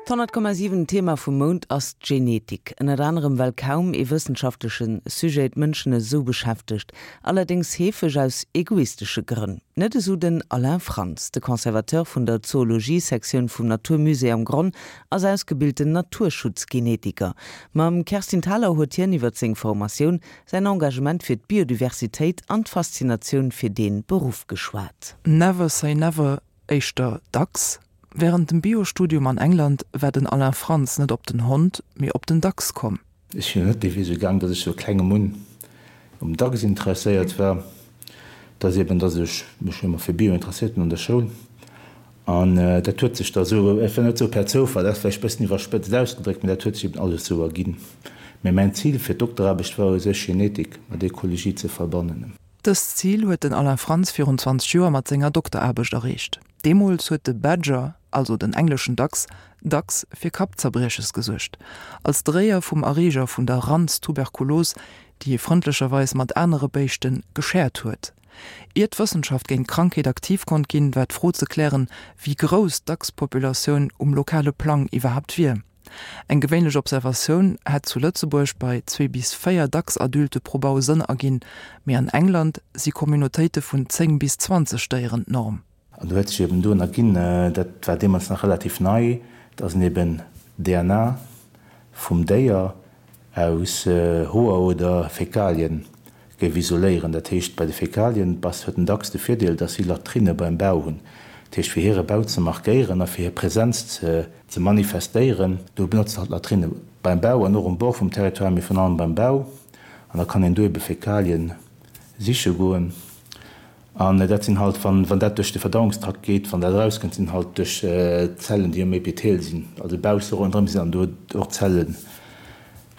D'100,7 Thema vum Mount ass d'Genetik. Ënnert anerem well kaum ee wëssenschaftleche Sujet d'Mënschen esou beschäftegt. Allerdéngs heefeg aus egoistesche Grënn. Net esou den Alain Frantz. De Conservateur vun der Zoologie-Sektioun vum Natur Musée am Gronn ass ausgebilten Naturschutzgenetiker. Mam Kerstin Thalau huet hien iwwert seng Formatioun, säin Engagement fir d'Biodiversitéit an d'Faszinatioun fir dee Beruff geschwat. Never say never, éischter dacks. Wärend dem Bio-Studium an England war den Alain Frantz net op den Hond, mee op den Dachs komm. Ech sinn net dee Wee sou gaang, datt ech sou klengem un um Dachs interesséiert war. Et ass eben, datt ech mech ëmmer fir Bio interesséiert hunn an der Schoul. An dat huet sech da sou, et war net sou per Zoufall, dat ass vläicht e bëssen iwwerspëtzt ausgedréckt, mee dat huet sech eben alles sou erginn. Mee mäin Zil fir d'Dokteraarbecht war u sech Genetik mat Ekologie ze verbannen. Dëst Zil huet den Alain Frantz virun 20 Joer mat senger Dokteraarbecht erreecht. Deemools huet de Badger, also den engleschen Dachs, dacks fir Kappzerbrieches gesuergt. Als Dréier vum Erreeger vun der Randstuberkulos, déi hie frëndlecherweis mat anere Béischte geshared huet. Ier d'Wëssenschaft géint d'Krankheet aktiv konnt ginn, war d'Fro ze klären, wéi grouss d'Dachspopulatioun um lokale Plang iwwerhaapt wier. Eng gewéinlech Observatioun hätt zu Lëtzebuerg bei zwee bis véier Dachsadulte pro Bau Sënn erginn, mee an England si Communautéite vun 10 bis 20 Déieren d'Norm. An do huet sech eben dunn erginn, dat war deemools nach relativ nei, dass een eben DNA vum Déier aus Hoer oder Fäkalien géif isoléieren. Dat heescht, bei de Fäkalien bass huet den Dachs de Virdeel, dass si Latrinne beim Bau hunn. Dat heescht, fir hire Bau ze markéieren a fir hir Präsenz ze ze manifestéieren, do benotzt hatt Latrinne beim Bau an och um Bord vum Territoire, mee virun allem beim Bau. An da kann een do ebe Fäkalien siche goen. An dat sinn halt, wann wann dat duerch de Verdauungstrakt geet, wann dat erauskënnt, sinn halt duerch d'Zellen, déi um Epithel sinn, also bausse ronderëm sinn dann do och Zelle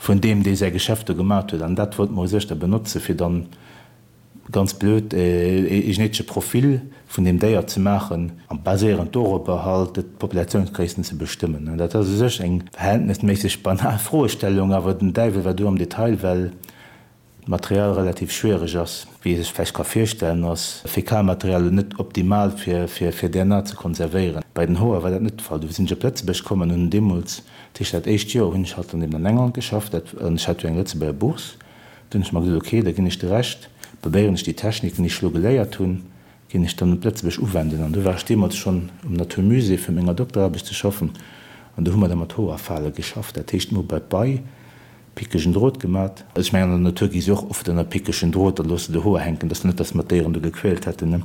vun deem, dee säi Geschäft do gemat huet. An dat wollte mer u sech da benotze fir dann ganz blöd, ee genetesche Profil vun deem Déier ze maachen a baséierend dorobber halt d'Populatiounsgréissten ze bestëmmen. Dat ass u sech eng verhältnesméisseg banal Froestellung, awer den Däiwel war do am Detail, well d'Material relativ schwiereg ass. Wéi ee sech vläicht ka virstellen, ass Fäkalmaterial elo net optimal fir fir DNA ze konservéieren. Bei den Hoer war dat net de Fall. Du sinn ech op Lëtzebuerg komm an hunn deemools, dat heescht dat éischt Joer hunn ech halt dann eben an England geschafft, dat an ech hat jo eng Lëtzebuerger Bourse. Du hunn ech mer gesot, ok, da ginn ech de Rescht, probéieren ech déi Techniken, déi ech elo geléiert hunn, ginn ech dann op Lëtzebuerg uwenden. An du war ech deemools schonn um Naturmusée fir menger Dokteraarbecht ze schaffen an do hu mer da mat Hoerfale geschafft. Dat heescht, mir hu bei d'Bei Pickegen Drot gemat. Ech mengen an der Natur gi se och oft ënner pickegen Drot, da loosse de Hoer hänken, dass net dass mer d'Déieren do gequält hätten, ne,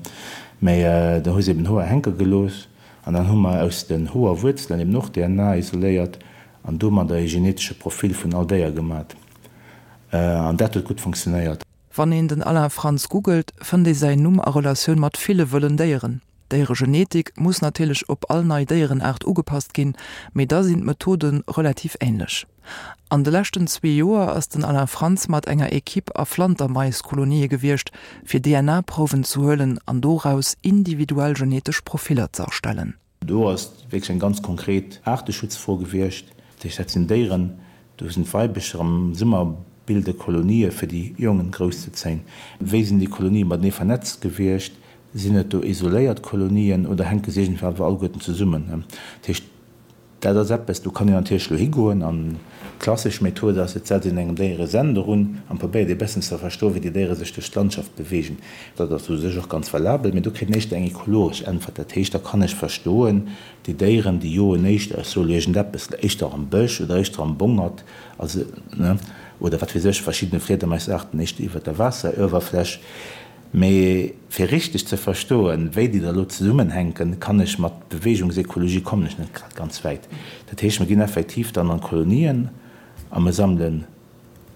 mä da hu se eben Hoer hänke gelooss an dann hu mer aus den Hoerwuerzelen eben och DNA isoléiert an domadder e genetesche Profil vun all Déier gemat an dat huet gutt funktionéiert. Wann een den Alain Frantz googelt, fënnt ee säin Numm a Relatioun mat ville wëllen Déieren. D'Déieregenetik muss natierlech op all nei Déierenaart ugepasst ginn, mee da sinn d'Methode relativ änlech. An de leschten zwee Joer ass den Alain Frantz mat enger Ekipp a Flantermais-Kolonië gewiescht, fir DNA-Prouwen ze huelen an doraus individuell genetesch Profiller ze erstellen. Do ass wierklech eng ganz konkret Aarteschutzfro gewiescht. Dat heescht, dat sinn Déieren, do sinn d'Weibecher am Summer bilde Kolonië fir déi Jongen grousszezéien. Wéi sinn déi Kolonië matenee vernetzt gewiescht? Sinn et do isoléiert Kolonien oder hänke se iergendwéi awer alleguerten zesummen? Dat heescht, dat ass eppes, do kann een natierlech elo higoen an d'klassesch Method ass, et setzt een engem Déier e Sender un an probéiert ee bëssen ze verstoen, wéi déi Déiere sech duerch d'Landschaft beweegen. Dat ass u sech och ganz valabel, mee do kritt een éischter eng ekologesch Äntwert. Dat heescht, da kann ech verstoen, déi Déieren, déi joen éischter, ech soe lo iergendeppes, éischter am Bësch oder éischter am Bongert, also, ne, oder wat weess ech, verschiddene Fliedermaisaarten éischter iwwert der Waasseruewerfläch. Mee fir richteg ze verstoen, wéi déi da lo zesummenhänken, kann ech mat Beweegungsekologie kommen ech net grad ganz wäit. Dat heescht, mer ginn effektiv dann an d'Kolonien a mer sammelen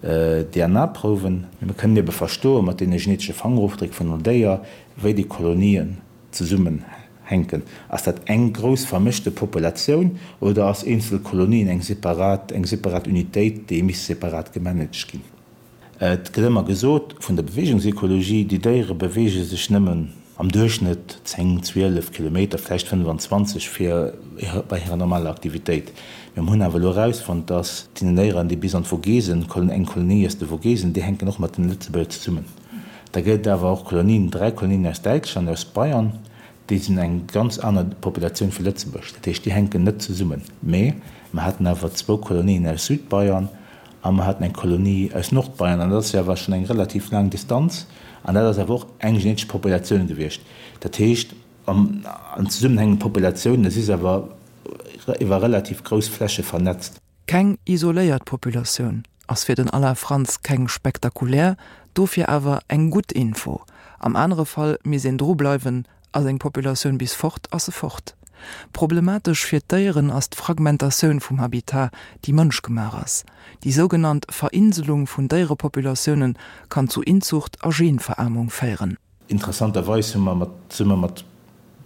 DNA-Prouwen. Mee mer kënnen ebe verstoen, mat deene genetesche Fangerofdréck vun all Déier, wéi déi Kolonien zesummenhänken. Ass dat eng grouss vermëschte Populatioun oder ass eenzel Kolonien eng separat, eng separat Unitéit, déi misst separat gemanaged ginn? Et gëtt ëmmer gesot vun der Beweegungsekologie, déi Déiere beweege sech nëmmen am Duerchschnëtt 10, 12 Kilometer, vläicht 25 fir bei hirer normaler Aktivitéit. Mee mir hunn awer elo erausfonnt, datt déi Déieren, déi bis an d'Vogesen, eng Kolonie aus de Vogesen, déi hänken och mat den Lëtzebuerger zesummen. Da gëtt et awer och Kolonien, dräi Kolonien aus Däitschland, aus Bayern. Déi sinn eng ganz aner Populatioun vu Lëtzebuerg. Dat heescht, déi hänken net zesummen. Mee mer haten awer zwou Kolonien aus Südbayern a mer haten eng Kolonie aus Nordbayern. An dat ass jo awer schonn eng relativ laang Distanz. An dat ass awer och eng genetesch Populatioun gewiescht. Dat heescht, an zesummenhängende Populatiounen, si se awer iwwer relativ grouss Fläche vernetzt. Keng isoléiert Populatioun ass fir den Alain Frantz keng spektakulär, dofir awer eng gutt Info. Am anere Fall misst een dru bleiwen, ass eng Populatioun bis fort, ass se fort. Problematesch fir d'Déieren ass d'Fragmentatioun vum Habitat, déi mënschgemaach ass. Déi sougenannt Verinselung vun Déierepopulatiounen kann zu Inzucht a Genveraarmung féieren. Interessanterweis hu mer mat zesumme mat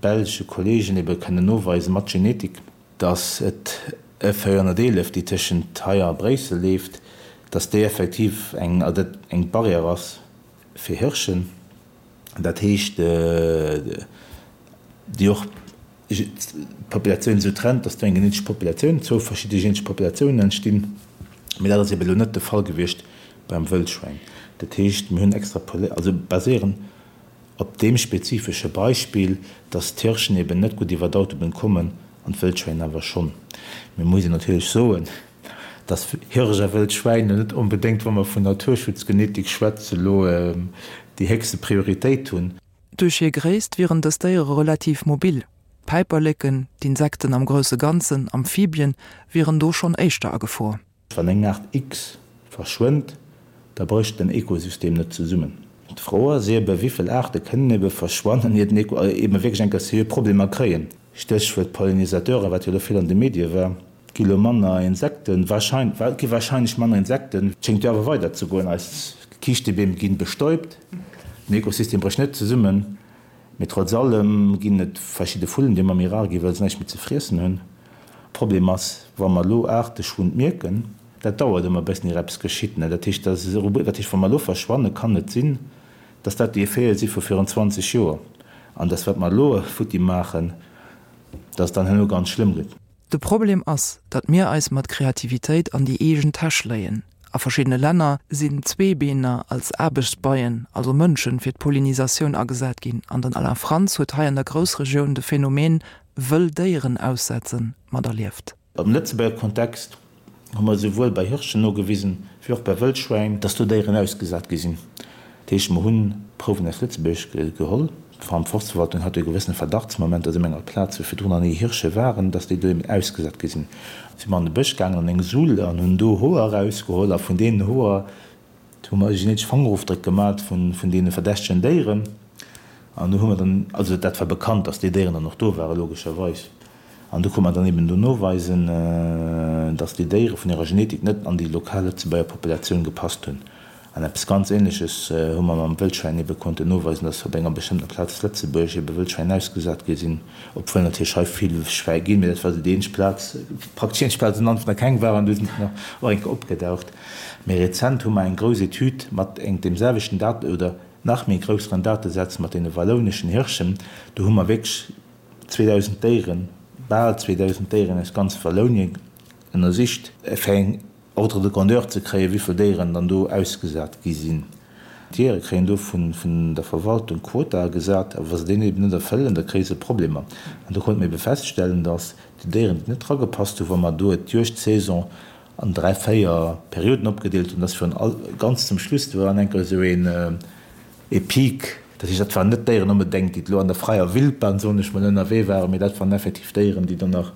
belsche Kollegen ebe kënnen noweisen, mat Genetik, dass et e 411, déi tëschent hei a Bréissel leeft, dass déi effektiv eng, also dat eng Barrière ass fir Hirschen, dat heescht, déi och d'Populatioun esou trennt, dass do eng genetesch Populatioun, zwou verschidde genetesch Populatiounen entstinn. Mee dat ass ebe elo net de Fall gewiescht beim Wëllschwäin. Dat heescht, mir hunn extrapolé-, also baséierend op deem spezifesche Beispill, dass d'Hirschen eben net gutt iwwer d'Autobunn kommen an d'Wëllschwäin awer schonn. Mir muss een natierlech soen, dass Hirsch a Wëllschwäin net onbedéngt, wa mer vun Naturschutzgenetik schwätzen, elo déi héchste Prioritéit hunn. Duerch hir Gréisst wieren dës Déiere relativ mobil. D'Päiperleken, d'Insekten am grousse Ganzen, Amphibien, wieren do schonn éischter a Gefor. Wann eng Aart X verschwënnt, da brécht den Ekosystem net zesummen. D'Fro ass eebe wéivill Aarte kënnen eebe verschwannen, ier den Eko eebe wierklech eng Kéier seriö Problemer kréien. Stéchwuert Pollinisateuren, wat jo elo vill an de Medie war. Et gi lo manner Insekten, warscheinlech, et gi warscheinlech manner Insekten. Et schéngt jo awer weider ze goen, eis Kiischtebeem ginn bestäubt, den Ekosystem brécht net zesummen. Mee trotz allem ginn et verschidde Vullen, déi ëmmer méi rar ginn, well se näischt méi ze friessen hunn. Problem ass, wa mer elo Aarteschwund mierken, dat dauert ëmmer e bëssen, ier eppes geschitt. Dat heescht, dat heescht, wa mer elo verschwannen, kann et sinn, dass dat déi Effete si vu virun 20 Joer an dass, wat mer elo futti maachen, dass et dann herno ganz schlëmm gëtt. De Problem ass, datt mir eis mat Kreativitéit an déi eegen Täsch léien. A verschiddene Länner sinn Zweebeener als Aarbechtsbeien, also Mënschen, fir d'Pollinisatioun agesat ginn an den Alain Frantz huet hei an der Groussregioun de Phänomen wëll Déieren aussetzen materlieft. Am Lëtzebuerger Kontext hu mer esouwuel bei Hirschen nogewisen, wéi och bei Wëllschwäin, dass do Déieren ausgesat gi sinn. Dat heescht, mer hu Prouwen aus Lëtzebuerg geholl. Vor allem d'Forstverwaltung hat do e gewëssene Verdachtsmoment, dass op enger Plaz, wou virdrun nach ni Hirsche waren, dass déi do eben ausgesat gi sinn. Si mer an de Bësch gaangen, an eng Sull, an hunn do Hoer erausgeholl. A vun deenen Hoer hu mer e genetesch Fangerofdréck gemat vun deene verdächtegen Déieren. An do hu mer dann, also dat war bekannt, dass déi Déieren dann och do waren, logescherweis. An do konnt mer dann eben do noweisen, dass déi Déiere vun hirer Genetik net an déi lokal Lëtzebuerger Populatioun gepasst hunn. An eppes ganz Ähnleches hu mer mam Wëllschwäin ebe konnten noweisen, dass op enger bestëmmter Plaz zu Lëtzebuerg ebe Wëllschwäin ausgesat gi sinn, obwuel natierlech hei vill Schwäi ginn, mee dat war esou déi eenzeg Plaz, praktesch déi eenzeg Plaz, wou am Anfang nach keng waren, du sinn se nach och eng Kéier opgedaucht. Méi rezent hu mer eng grouss Etüd mat eng deem selwechten Dat oder nach méi grousseren Datesätz mat deene wallouneschen Hirschen, do hu mer wierklech 2.000 Déieren, bal 2.000 Déieren aus ganz Wallounien ënnersicht, fir eng Ordre de grandeur ze kréien, wéi vill Déieren dann do ausgesat gi sinn. D'Jeeëre kréien do vun der Verwaltung Quotae gesat, a wa se déi eben net erfëllen, da kréie se Problemer. An do konnte mir ebe feststellen, datt déi Déieren, déi net dragepasst hunn, wa mer do d'Juegdsaison an 3, 4 Perioden opgedeelt hunn, datt virun all, ganz zum Schluss, do war dann enker esou een, E Peak, dat heescht, dat waren net Déieren onbedéngt, déi elo an der fräier Wildbahn, soen ech mol, ënnerwee waren, mee dat waren effektiv Déieren, déi dann nach,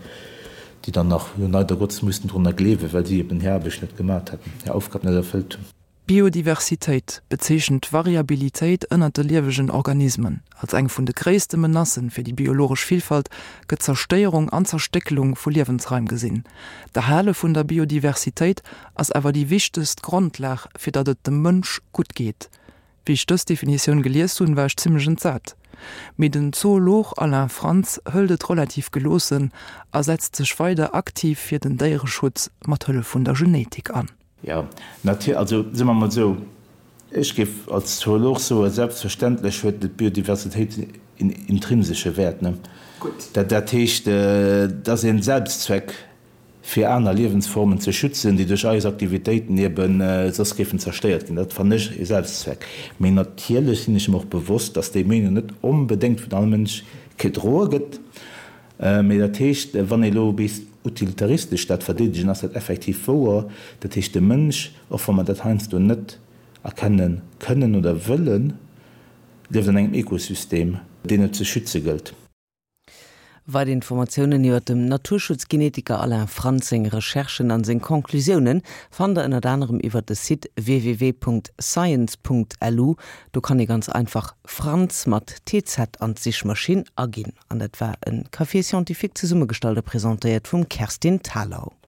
déi dann nach, jo, leider Gottes mussten drunner gleewen, well si eben hir Aarbecht net gemat hätten, hir Aufgab net erfëllt hunn. Biodiversitéit bezeechent d'Variabilitéit ënnert de liewegen Organismen. Als eng vun de gréisste Menacen fir déi biologesch Villfalt gëtt d'Zerstéierung an d'Zerstéckelung vu Liewensraim gesinn. D'Erhale vun der Biodiversitéit ass awer déi wichtegst Grondlag fir datt et dem Mënsch gutt geet. Wéi ech dës Definitioun gelies hunn, war ech zimmlech entsat. Mee den Zoolog Alain Frantz hëlt et relativ geloossen a setzt sech weider aktiv fir den Déiereschutz mat Hëllef vun der Genetik an. Jo, natierlech. Also soe mer mol esou, ech géif als Zoolog soen, selbstverständlech huet d'Biodiversitéit een intrinsesche Wäert, ne? Dat heescht, et ass een Selbstzweck, fir aner Liewensformen ze schützen, déi duerch eis Aktivitéiten ebe soss géifen zerstéiert ginn. Dat fannen ech e Selbstzweck. Mee natierlech sinn ech mer och bewosst, dass déi Meenung net onbedéngt vun all Mënsch. gedroe gëtt. Mee dat heescht, wann ee elo bis utilitaristesch dat verdeedegen, ass dat effektiv wouer. Dat heescht, de Mënsch, och wa mer dat heiansdo net erkenne kënnen oder wëllen, lieft an engem Ekosystem, deen et ze schütze gëllt. Weider Informatiounen iwwer dem Naturschutzgenetiker Alain Frantz seng Recherchen an seng Conclusiounen fannt der ënnert anerem iwwer de Site www.science.lu. Do kann ee ganz einfach Frantz mat TZ an d'Sichmaschinn aginn. An dat war e Café Scientifique zesummegestallt a presentéiert vum Kerstin Thalau.